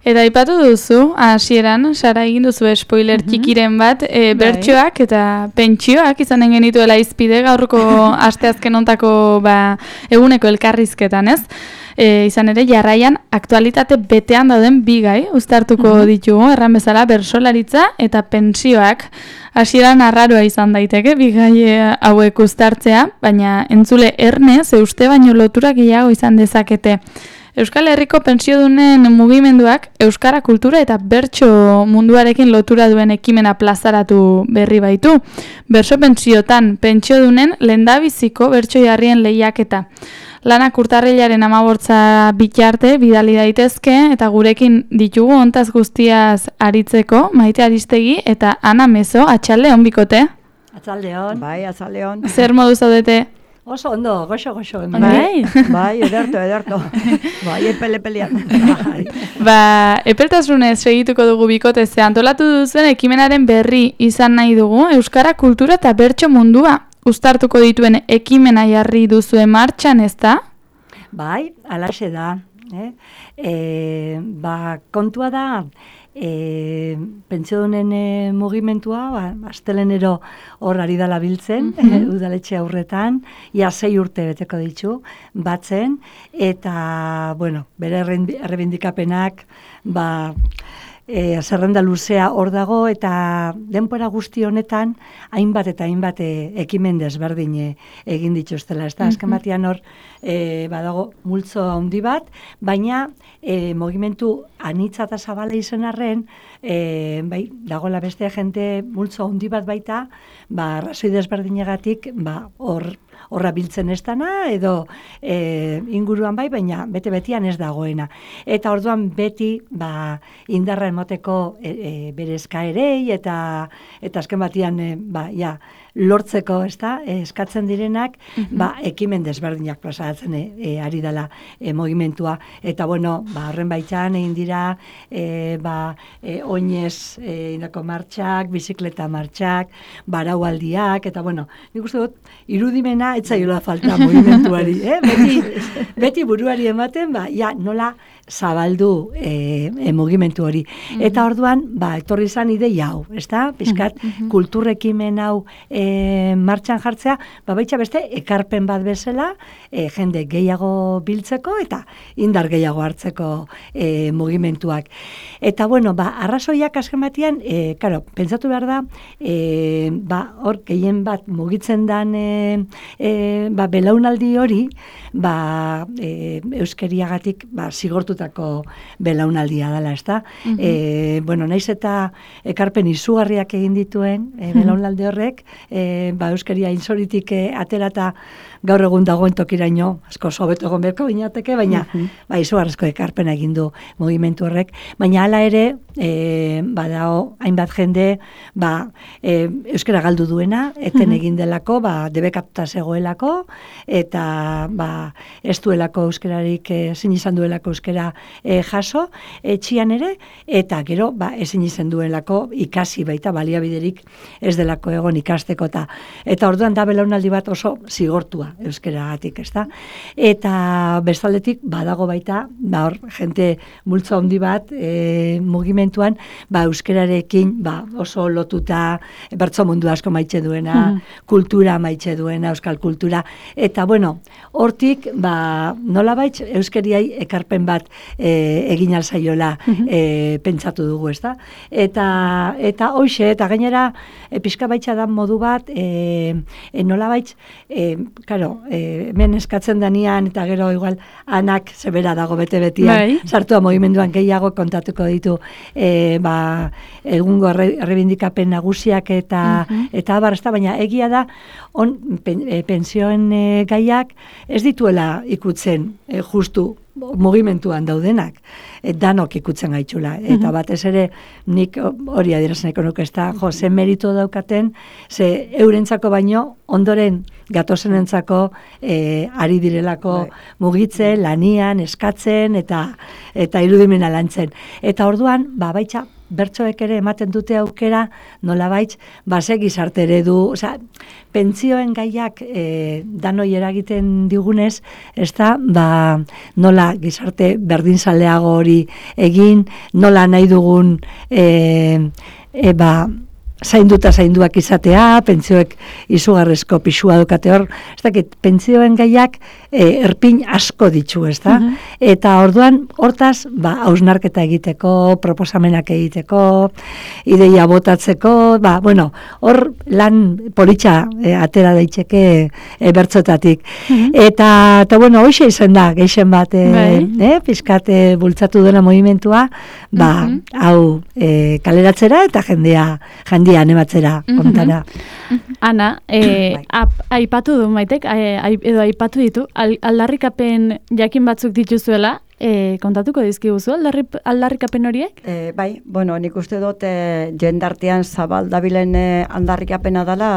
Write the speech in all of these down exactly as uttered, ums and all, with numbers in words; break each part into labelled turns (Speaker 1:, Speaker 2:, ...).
Speaker 1: Eta aipatu duzu, hasieran, Sara egin duzu spoiler mm-hmm. txikiren bat, e, bertsoak eta pentsioak izanen genituela izpide gaurko asteazken hontako ba, eguneko elkarrizketan, ez? E, izan ere, jarraian aktualitate betean dauden bi gai uztartuko mm-hmm. ditugu, erran bezala bersolaritza eta pentsioak. Hasieran arraroa izan daiteke, bi gai hauek uztartzea, baina entzule erne, ze uste baino lotura gehiago izan dezakete. Euskal Herriko pentsiodunen mugimenduak euskara kultura eta bertso munduarekin lotura duen ekimena plazaratu berri baitu. Berso pentsiotan pentsiodunen lehendabiziko bertso jarrien lehiaketa. Lanak urtarrilaren hamabortza bitarte bidali daitezke eta gurekin ditugu hontaz guztiaz aritzeko Maite Aristegi eta Ana Mezo, atxaldeon bikote.
Speaker 2: Atxaldeon, bai, atxaldeon.
Speaker 1: Zer modu zaudete?
Speaker 2: Oso ondo, goxo, goxo.
Speaker 1: Bai,
Speaker 2: bai, ederto, ederto. Bai, epele pelean. Bai.
Speaker 1: Ba, epeltasunez segituko dugu bikote, ze antolatu duzen ekimenaren berri izan nahi dugu, euskara kultura eta bertso mundua uztartuko dituen ekimena jarri duzue martxan, ez da?
Speaker 2: Bai, alaxe da. Eh? E, ba, kontua da, E, pentsiodunen e, mugimentua, ba, astelenero hor ari dala biltzen, mm-hmm. e, udaletxe aurretan, ia sei urte beteko ditu, batzen, eta, bueno, bere errebindikapenak, ba, e, zerrenda luzea hor dago, eta denbora guzti honetan, hainbat eta hainbat e, ekimen desberdin e, egin dituztela, ez da, mm-hmm. azken batean hor, E, badago multzo handi bat, baina e, mugimentu anitza eta zabala izan arren, e, bai, dagoela beste jente multzo handi bat baita, ba, arrazoi desberdinegatik, ba, hor horra biltzen ez dana, edo e, inguruan bai, baina bete-betian ez dagoena. Eta orduan beti, ba, indarra emoteko e, e, bere eskaerei, eta, eta azken batian, e, ba, ja, lortzeko, ez da, eskatzen direnak, mm-hmm. ba, ekimen desberdinak plazaratzen e, e, ari dela e, mugimentua. Eta, bueno, ba, horren baitan egin dira, e, ba, e, oinez e, indako martxak, bizikleta martxak, baraualdiak, eta, bueno, nik uste dut, irudimena etzaiola falta mugimentuari, eh? Beti, beti buruari ematen, ba, ja, nola zabaldu e, e, mugimentu hori. Mm-hmm. Eta orduan, ba, etorri izan ideia hau, ez da? Piskat, mm-hmm. kulturrekimen hau e, martxan jartzea, ba, baitxa beste, ekarpen bat bezala, e, jende gehiago biltzeko, eta indar gehiago hartzeko e, mugimentuak. Eta, bueno, ba, arrazoiak azken batian, e, karo, pentsatu behar da, e, ba, hor, gehien bat mugitzen dan, e, e, ba, belaunaldi hori, ba, e, euskeriagatik, ba, zigortu belaunaldia dela, ez da? Mm-hmm. E, bueno, naiz eta ekarpen izugarriak egin dituen e, belaunaldi horrek, e, ba, euskeria inzoritik e, aterata gaur egun dagoen tokiraino, asko sobeto egon berko binateke, baina mm-hmm. ba, izugarrezko ekarpena egin du mugimentu horrek, baina hala ere, e, badao, hainbat jende, ba, e, euskera galdu duena, eten mm-hmm. egin delako, ba, debekatuta zegoelako, eta, ba, ez duelako euskerarik, ezin izan duelako euskera E, jaso, etxian ere, eta gero, ba, ezin izan duelako ikasi baita, baliabiderik ez delako egon ikasteko, eta, eta orduan da belaunaldi bat oso zigortua euskeragatik, ez da? Eta bestaldetik, badago baita, ba, hor, jente multzo handi bat, e, mugimentuan, ba, euskerarekin, ba, oso lotuta, bertso mundu asko maitxe duena, hmm. kultura maitxe duena, euskal kultura, eta, bueno, hortik, ba, nola baitz, euskeriai ekarpen bat E, egin alzaiola e, pentsatu dugu, ez da? Eta, eta hoxe, eta gainera e, pixka baitza da modu bat, e, e, nola baitz, e, karo, e, hemen eskatzen danian, eta gero igual anak zebera dago bete-betian, sartua mugimenduan gehiago kontatuko ditu, e, ba, egungo errebindikapen nagusiak eta, uh-huh. eta abar, ez da, baina egia da, on, pen, e, pensioen e, gaiak ez dituela ikutzen e, justu mugimentuan daudenak, e, danok ikutzen gaitzula, eta batez ere nik hori adierazneko nuke, ez da, jo, ze merito daukaten, ze eurentzako baino, ondoren gatozenentzako e, ari direlako mugitzen, lanian, eskatzen, eta eta irudimena lantzen. Eta orduan, ba, baitxa, bertsoek ere ematen dute aukera, nolabait, base gizarte eredu, osea, pentsioen gaiak e, danoi eragiten digunez, ez da, ba, nola gizarte berdinzaleago hori egin, nola nahi dugun, e, e, ba, zainduta zainduak izatea, pentsioek izugarrezko pisua dukate hor, ez dakit, pentsioen gaiak e, erpin asko ditu, ez da? Uh-huh. Eta orduan, hortaz, ba, hausnarketa egiteko, proposamenak egiteko, ideia botatzeko, ba, bueno, hor lan politxa e, atera daiteke e, bertzotatik. Uh-huh. Eta, eta, bueno, hoxe izan da, geixen bat, e, eh, pizkate bultzatu dena movimentua, ba, uh-huh. hau e, kaleratzera eta jendea, jendea animatzera, kontara.
Speaker 3: Uh-huh. Ana, e, ap, aipatu du Maitek, edo aipatu ditu, al, aldarrikapen jakin batzuk dituzuela, e, kontatuko dizkiguzu aldarri, aldarrikapen horiek?
Speaker 4: E, bai, bueno, nik uste dut e, jendartean zabal dabilen e, aldarrikapena dela,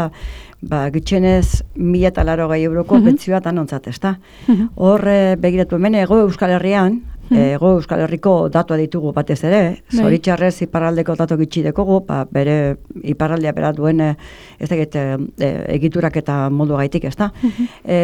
Speaker 4: ba, gitxenez mila eta laro gai euroko uh-huh. pentzioa tanontzat, ez da? Uh-huh. Hor, e, begiratu hemen, ego Euskal Herrian, Ego Euskal Herriko datua ditugu batez ere, zoritxarrez iparraldeko datu gitxi dekogu, ba, bere iparraldea bera duen ez dakit e, egiturak eta modu gaitik, ez da. Uh-huh. E,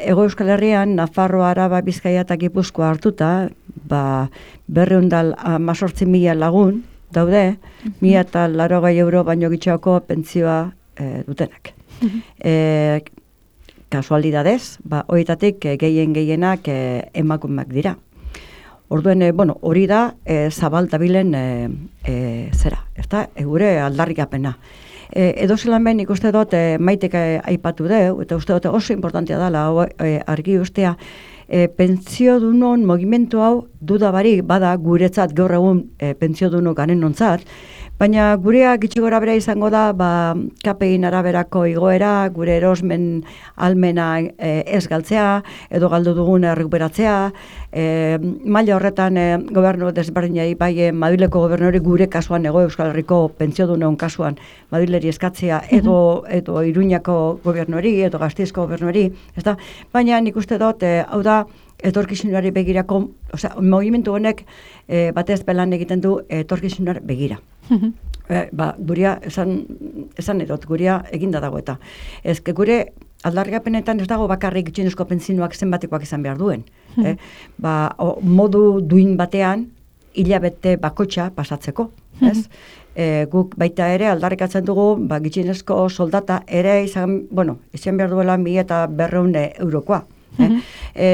Speaker 4: Ego Euskal Herrian, Nafarroa, Araba, Bizkaia eta Gipuzkoa hartuta, ba, berreundal amazortzi mila lagun daude, uh-huh. mila eta laro gai euro baino gitxoako pentzioa e, dutenak. Uh-huh. E, kasualidadez, ba, horietatik gehien gehienak e, emakumeak dira. Orduen, e, bueno, hori da e, zabal dabilen e, e, zera, ezta? E, gure aldarrikapena. E, edo zelan behin ikuste dut e, Maitek e, aipatu deu, eta uste dut oso importantea dela e, argi ustea, e, pentsio dunon mogimentu hau dudabarik bada guretzat gaur egun e, pentsio duno garen nontzat, baina gurea gitxi gora bera izango da, ba, kapein araberako igoera, gure erosmen almena e, ez galtzea, edo galdu dugun errekuperatzea, e, maila horretan e, gobernu desberdinai, bai e, Madrileko gobernori gure kasuan, Ego Euskal Herriko pentsiodunon kasuan, Madrileri eskatzea, edo, edo Iruñako gobernori, edo Gasteizko gobernori, ez da? Baina nik uste dut, e, hau da, etorkizunari begirako, osea, mogimentu honek e, batez belan egiten du etorkizunari begira. e, ba, guria, esan, esan edot, guria eginda dago eta. Ez, gure aldarrikapenetan ez dago bakarrik gutxienezko pentsinoak zenbatekoak izan behar duen. eh? Ba, o, modu duin batean, hilabete bakotxa pasatzeko. Ez? E, guk baita ere aldarrikatzen dugu, ba, gutxienezko soldata ere izan, bueno, izan behar duela mila eta berreun eurokoa. Eh? E,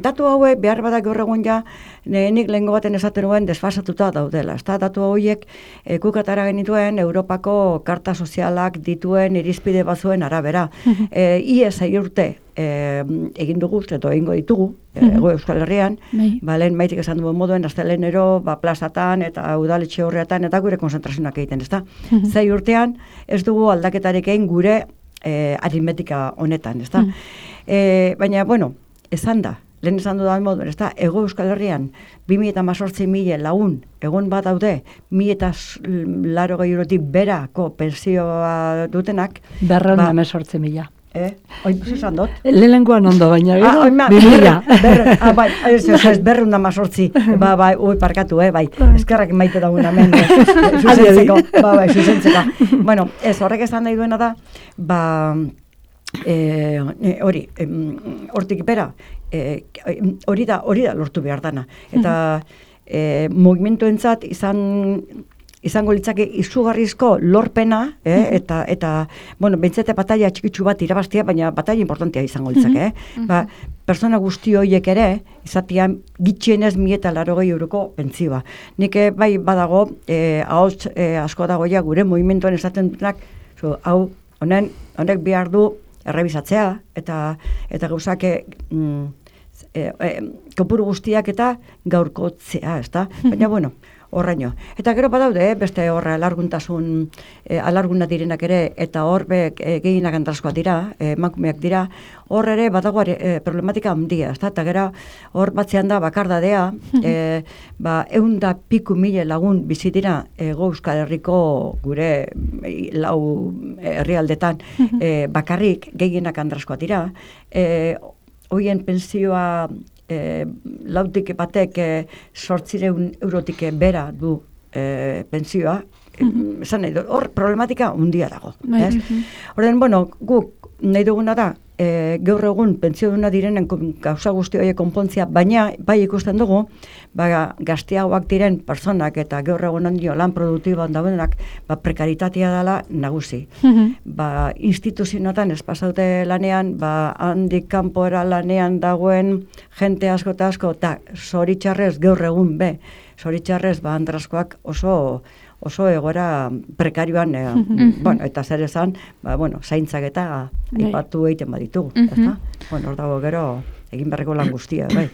Speaker 4: datu hauek behar badak gaur egun ja, nik lehengo baten esaten nuen desfasatuta daudela. Ezta datu hauek e, kukatara genituen Europako karta sozialak dituen irizpide bazuen arabera. E, Iez zei urte e, egin dugu, edo egingo ditugu, e, Euskal Herrian, ba, lehen Maitik esan duen moduen, astelenero, ba, plazatan eta udaletxe horretan eta gure konzentrazionak egiten, ezta? Zei urtean ez dugu aldaketarik egin gure e, aritmetika honetan, ezta? E, baina, bueno, esan da, lehen esan dudan moduen, ez da, Ego Euskal Herrian, bi mila eta mazortzi mila lagun, egon bat daude, mila eta laro gehi eurotik berako pensioa dutenak.
Speaker 2: Berreun ba, amazortzi mila.
Speaker 4: Eh? Oin, esan dut?
Speaker 2: Lehenengoan ondo, baina gero,
Speaker 4: ah, bi mila. Ah, bai, ez, ez, ez, berreun da mazortzi, ba, bai, ui, parkatu, eh, bai, eskerrak maite dagoen amen, zuzentzeko, ba, bai, zuzentzeko. Bueno, ez, horrek esan nahi duena da, ba, E, hori, e, hortik bera, e, hori da, hori da lortu behar dana. Eta e, mogimentuentzat izan, izango litzake izugarrizko lorpena, eh, eta, eta, bueno, bentsete bataia txikitsu bat irabaztia, baina bataia importantea izango litzake. Eh? Ba, persona guzti horiek ere, izatian gitxienez mila eta larogei euroko pentzioa. Nik bai badago, e, ahots e, asko dagoia gure mogimentuen esaten dutenak, so, hau, honen, honek behar du, errebizatzea, eta eta gauzak mm, e, e, kopuru guztiak eta gaurkotzea, ezta? Baina, bueno, horraino. Eta gero badaude, eh, beste horra alarguntasun, eh, alarguna direnak ere, eta hor be, e, gehienak antraskoak dira, eh, emakumeak dira, hor ere badago e, problematika handia, ezta? Eta gero hor batzean da bakardadea, eh, ba, eunda piku mile lagun bizi dira Ego Euskal Herriko gure lau herrialdetan eh, bakarrik gehienak antraskoak dira, eh, hoien pensioa E, lautik batek e, sortzireun eurotik bera du e, pentsioa, mm-hmm. esan nahi dut, hor problematika hundia dago.
Speaker 3: Bai.
Speaker 4: Ez? Horren, bueno, guk nahi duguna da, e, gaur egun pentsioduna direnen gauza guzti horiek konpontzia, baina bai ikusten dugu, ba, gazteagoak diren personak eta gaur egun ondio lan produktiboan daudenak, ba, prekaritatea dela nagusi.
Speaker 3: Mhm.
Speaker 4: Ba, instituzioetan ez pasaute lanean, ba, handik kanpora lanean dagoen jente asko eta asko, eta zoritxarrez gaur egun be, zoritxarrez ba, andraskoak oso oso egoera prekarioan, e, bueno, eta zer esan, ba, bueno, zaintzak eta aipatu egiten baditugu, ezta? Bueno, hor dago gero, egin berreko lan guztia, bai.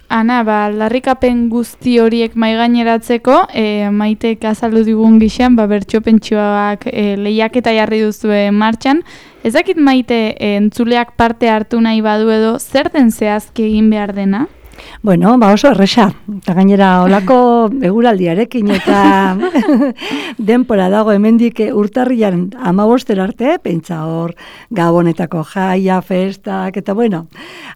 Speaker 1: Ana, ba, aldarrikapen guzti horiek maigaineratzeko, e, Maitek azaldu digun gixan, ba, bertso pentsioak e, lehiaketa jarri duzue martxan. Ez dakit Maite e, entzuleak parte hartu nahi badu edo, zer den zehazki egin behar dena?
Speaker 2: Bueno, ba oso erresa, eta gainera olako eguraldiarekin eta denpora dago hemendik urtarrian amabostera arte, pentsa hor gabonetako jaia, festak, eta bueno,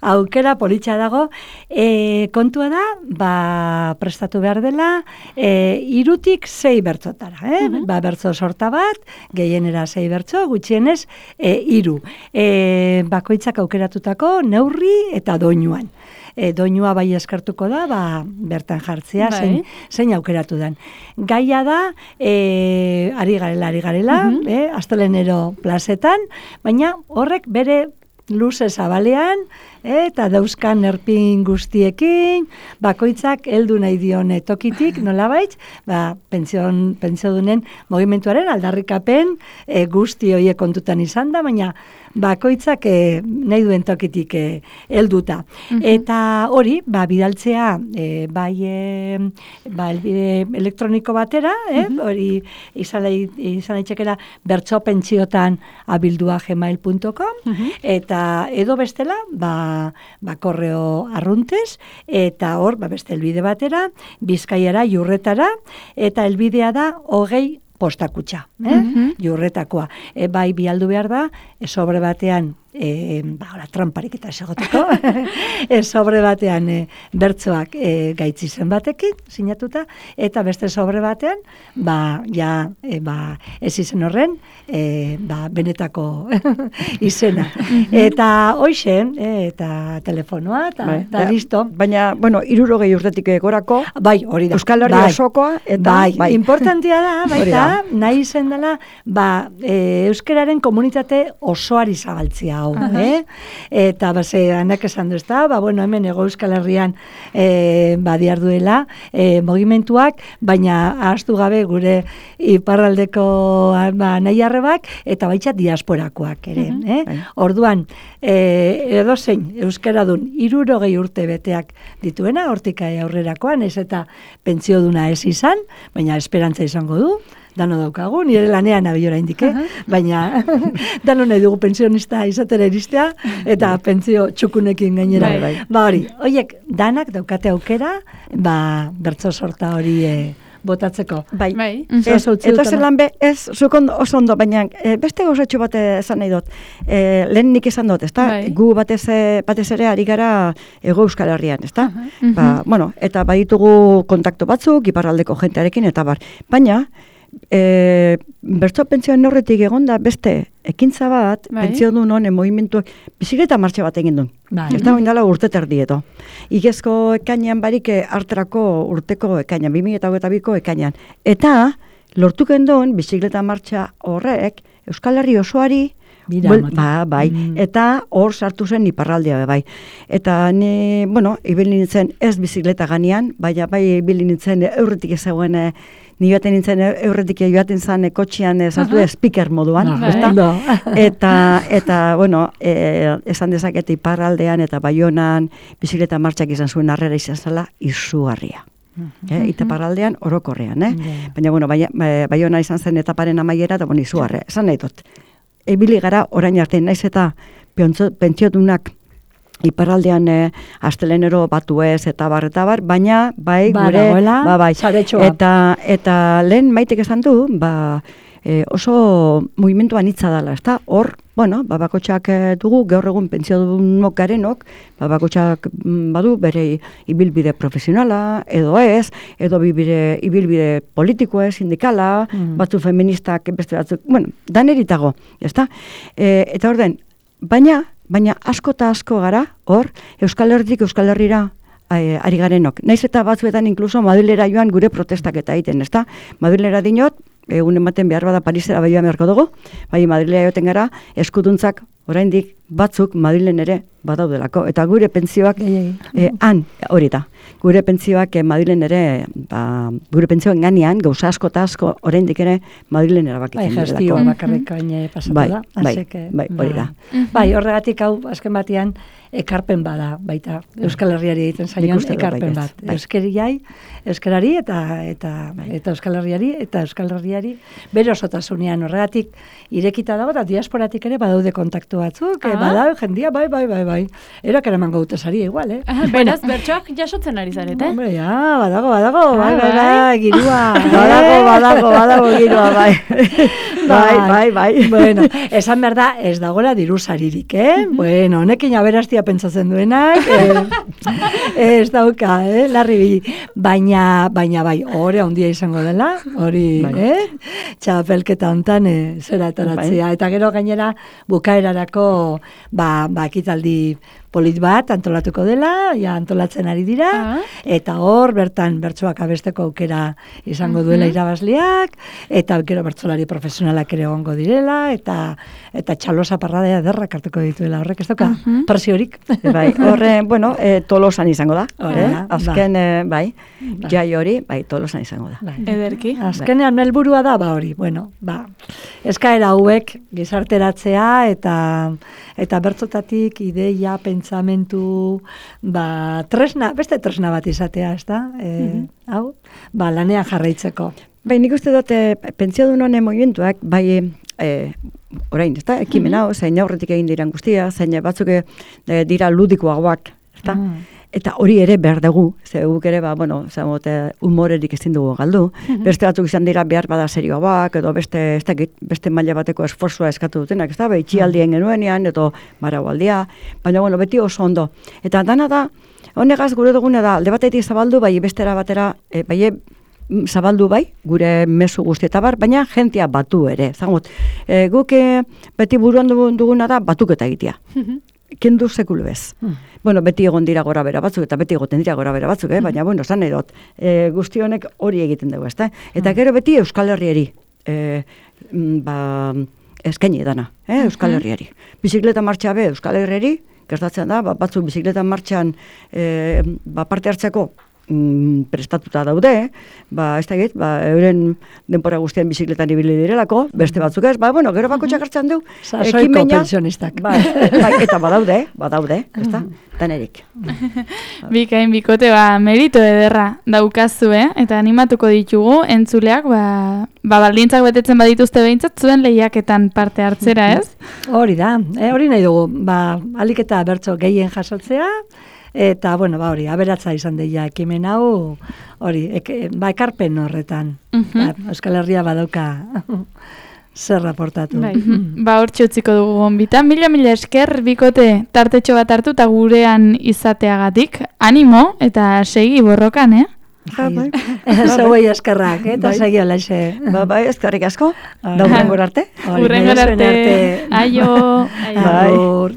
Speaker 2: aukera politxa dago, e, kontua da, ba prestatu behar dela, e, irutik sei bertzotara, eh? Uh-huh. Ba bertzo sorta bat, gehienera sei bertzo, gutxienez, e, iru, e, bakoitzak aukeratutako neurri eta doinuan. E, doinua bai eskartuko da, ba, bertan jartzea, bai. zein, zein aukeratu den. Gaia da, e, ari garela, ari garela, uh-huh. e, astelenero plazetan, baina horrek bere luze zabalean, e, eta dauzkan erpin guztiekin, bakoitzak heldu nahi dion tokitik, nolabait, ba, pentsión, pentsiodunen mogimentuaren aldarrikapen e, guzti horiek kontutan izan da, baina bakoitzak e, nahi duen tokitik e, helduta. Mm-hmm. Eta hori, ba, bidaltzea, e, bai e, ba, elbide elektroniko batera, eh? Mm-hmm. Hori izan daitezkeela bertso pentsiotan abildua gmail punto com, mm-hmm. eta edo bestela, ba, ba korreo arruntez, eta hor, ba, beste elbide batera, Bizkaiara, Jurretara, eta elbidea da hogei postakutxa, eh? Mm-hmm. Jurretakoa. E, bai bialdu behar da, e, sobre batean, e, ba, ora, tramparik eta esagoteko, e, sobre batean e, bertsoak e, gaitzi zen batekin, sinatuta, eta beste sobre batean, ba, ja, e, ba, ez izen horren, e, ba, benetako izena. Mm-hmm. Eta hoixen, e, eta telefonoa, eta, bai, eta ja, listo.
Speaker 4: Baina, bueno, irurogei urtetik gorako,
Speaker 2: bai, hori da.
Speaker 4: Euskal Herria
Speaker 2: bai,
Speaker 4: osokoa, eta
Speaker 2: bai,
Speaker 4: bai.
Speaker 2: Importantia da, baita, nahi zen dela, ba, e, euskararen komunitate osoari zabaltzia hau, uh-huh. eh? Eta, ba, ze, anak esan du, ezta, ba, bueno, hemen ego Euskal Herrian e, ba, diarduela e, mogimentuak, baina ahaztu gabe gure iparraldeko ba, nahi arrebak, eta baitxat diasporakoak ere, uh-huh. eh? Orduan, e, edozein euskaradun hirurogei urte beteak dituena, hortik aurrerakoan, ez eta pentsioduna ez izan, baina esperantza izango du, dano daukagu, nire lanean abiora indike, uh-huh. baina dano nahi dugu pensionista izatera iristea, eta pentsio txukunekin gainera.
Speaker 3: Bai, bai.
Speaker 2: Ba hori, horiek danak daukate aukera, ba, bertso sorta hori e, botatzeko.
Speaker 4: Bai,
Speaker 3: bai.
Speaker 4: Ez, eta zelan be, ez, zukondo, oso ondo, baina e, beste gauzatxo bat esan nahi dut. E, lehen nik esan dut, ezta? Bai. Gu batez, batez ere ari gara Ego Euskal Herrian, ezta? Uh-huh. Ba, bueno, eta baditugu kontaktu batzuk, iparraldeko jentearekin, eta bar. Baina, E, bertso pentsioen horretik egonda beste ekintza bat, bai. Pentsiodun honen movimentuak bizikleta martxa bat egin duen. Bai. Ez da oindala urte terdieto. Igezko ekainean barik hartrako urteko ekainean, bi mila hogeita biko ekainean. Eta lortuken duen bizikleta martxa horrek Euskal Herri osoari Bul, ba, bai, mm. eta hor sartu zen iparraldea bai. Eta ni, bueno, ibili nintzen ez bizikleta ganean, baina bai ibili nintzen eurretik ezagoen, ni baten nintzen eurretik joaten zen kotxean sartu uh-huh. speaker moduan, no, ezta? No. eta, eta, bueno, e, esan dezakete iparraldean eta Baionan bizikleta martxak izan zuen harrera izan zela izugarria. Uh-huh. Eh, Itaparraldean orokorrean, eh? Yeah. Baina, bueno, Baiona izan zen etaparen amaiera, eta bueno, izugarria. Esan nahi dut. Ebili gara orain arte, naiz eta pentsiodunak iparraldean eh, astelenero batu ez eta bar eta bar, baina bai gure ba, bai. Eta, eta lehen Maitek esan du, ba, e, oso mugimendu anitza dela, ezta? Hor, bueno, ba, bakotxak dugu, gaur egun pentsiodunok garenok, ba, bakotxak badu bere ibilbide profesionala, edo ez, edo bibide, ibilbide politikoa, sindikala, mm. batzu feministak, beste batzuk, bueno, daneritago, ezta? E, eta orden, baina, baina asko eta asko gara, hor, Euskal Herritik Euskal Herrira ari garenok. Naiz eta batzuetan inkluso Madrilera joan gure protestak eta egiten, ezta? Madrilera dinot, egun ematen behar bada Parisera bai joan beharko dugu, bai Madrilera joten gara, eskuduntzak oraindik batzuk Madrilen ere badaudelako. Eta gure pentsioak eh, han, hori da, gure pentsioak eh, Madrilen ere, ba, gure pentsioen ganean, gauza asko eta asko oraindik ere Madrilen erabakitzen
Speaker 2: bai,
Speaker 4: direlako.
Speaker 2: gestioa bakarrik baina pasatu
Speaker 4: bai,
Speaker 2: da.
Speaker 4: Bai,
Speaker 2: Aseke,
Speaker 4: bai, hori da.
Speaker 2: Bai, horregatik hau, azken batean, ekarpen bada, baita, Euskal Herriari egiten zaion ekarpen bat.
Speaker 4: Bai.
Speaker 2: Euskeriai, Euskarari eta eta bai. eta Euskal Herriari eta Euskal Herriari bere osotasunean horregatik irekita dago eta diasporatik ere badaude kontaktu batzuk, ah. badau jendia bai bai bai bai. Erak eramango dute saria igual, eh.
Speaker 3: Ah, beraz bertsoak jasotzen ari zarete.
Speaker 2: Hombre, ja, badago, badago, bai, bai, bai, girua.
Speaker 4: Badago, badago, badago girua, bai. Bai, bai, bai.
Speaker 2: Bueno, esan behar da, ez dagoela diru saririk, eh? Bueno, honekin aberastia pentsatzen duenak, eh, ez dauka, eh, larri bili. Baina, baina bai, hori handia izango dela, hori, bai. eh? Txapelketa hontan, eh, zera etaratzea. Bai. Eta gero gainera, bukaerarako, ba, ba, ekitaldi polit bat antolatuko dela, ja antolatzen ari dira, ah. eta hor, bertan, bertsoak abesteko aukera izango duela uh-huh. irabazliak, eta gero bertsolari profesionalak ere egongo direla, eta eta txalosa parradea derrak hartuko dituela, horrek ez dauka, uh-huh. presiorik.
Speaker 4: Bai, horre, bueno, e, Tolosan izango da,
Speaker 2: eh?
Speaker 4: eh? azken, ba. e, bai, ba. jai hori, bai, Tolosan izango da.
Speaker 2: Bai.
Speaker 1: Ederki.
Speaker 2: Azkenean bai. helburua da, ba hori, bueno, ba, eskaera hauek gizarteratzea, eta eta bertsotatik ideia, pentsamentu, ba, tresna, beste tresna bat izatea, ez da? E, mm-hmm. Hau, ba, lanean jarraitzeko.
Speaker 4: Bai, nik uste dute, pentsiodun honen movimentuak, bai, e, orain, ez da, ekimen hau, mm-hmm. zein aurretik egin diran guztia, zein batzuk e, dira ludikoagoak, ez da? Mm. Eta hori ere behar dugu, ze guk ere, ba, bueno, zamote, humorerik ezin dugu galdu. Mm-hmm. Beste batzuk izan dira behar bada serioagoak, edo beste, ez dakit, beste maila bateko esforzua eskatu dutenak, ez da, bai, itxialdien genuenean, edo maraualdia, baina, bueno, beti oso ondo. Eta dana da, honegaz gure dugune da, alde batetik zabaldu, bai, bestera batera, e, bai, zabaldu bai, gure mezu guztietabar, baina jentia batu ere. Zangot, e, guk e, beti buruan duguna da, batuketa egitea. Mm-hmm. Kendu sekulu bez. Hmm. Bueno, beti egon dira gora bera batzuk, eta beti egoten dira gora bera batzuk, eh? Baina, bueno, zan edot, e, guzti honek hori egiten dugu, ezta? Eta gero beti Euskal Herriari, e, ba, eskaini dana, eh? Euskal Herriari. Bizikleta martxa be, Euskal Herriari, gertatzen da, ba, batzuk bizikleta martxan e, ba, parte hartzeko mm, prestatuta daude, ba, ez da egit, ba, euren denpora guztian bizikletan ibili direlako, beste batzuk ez, ba, bueno, gero bakotxak hartzen du,
Speaker 2: sasoiko pensionistak.
Speaker 4: Ba, ba, eta badaude, badaude, ez da, danerik.
Speaker 1: Bikain bikote, ba, merito ederra daukazu, eh? Eta animatuko ditugu, entzuleak, ba, ba baldintzak betetzen badituzte behintzat, zuen lehiaketan parte hartzera, ez?
Speaker 2: Hori da, eh, hori nahi dugu, ba, alik eta bertso gehien jasotzea, eta, bueno, ba, hori, aberatza izan deia ekimen hau, hori, eke, ba, ekarpen horretan. Uh-huh. Ba, Euskal Herria badauka zer raportatu.
Speaker 1: Bai. Ba, hor txutziko dugu gonbitan. Mila, mila esker, bikote tartetxo bat hartu eta gurean izateagatik. Animo eta segi borrokan, eh?
Speaker 2: Bai. Zauei eskerrak, eh? Eta segi olaxe.
Speaker 4: Ba, bai, eskerrik asko. Da, urrengor arte.
Speaker 1: Urrengor arte. Aio.
Speaker 4: Aio.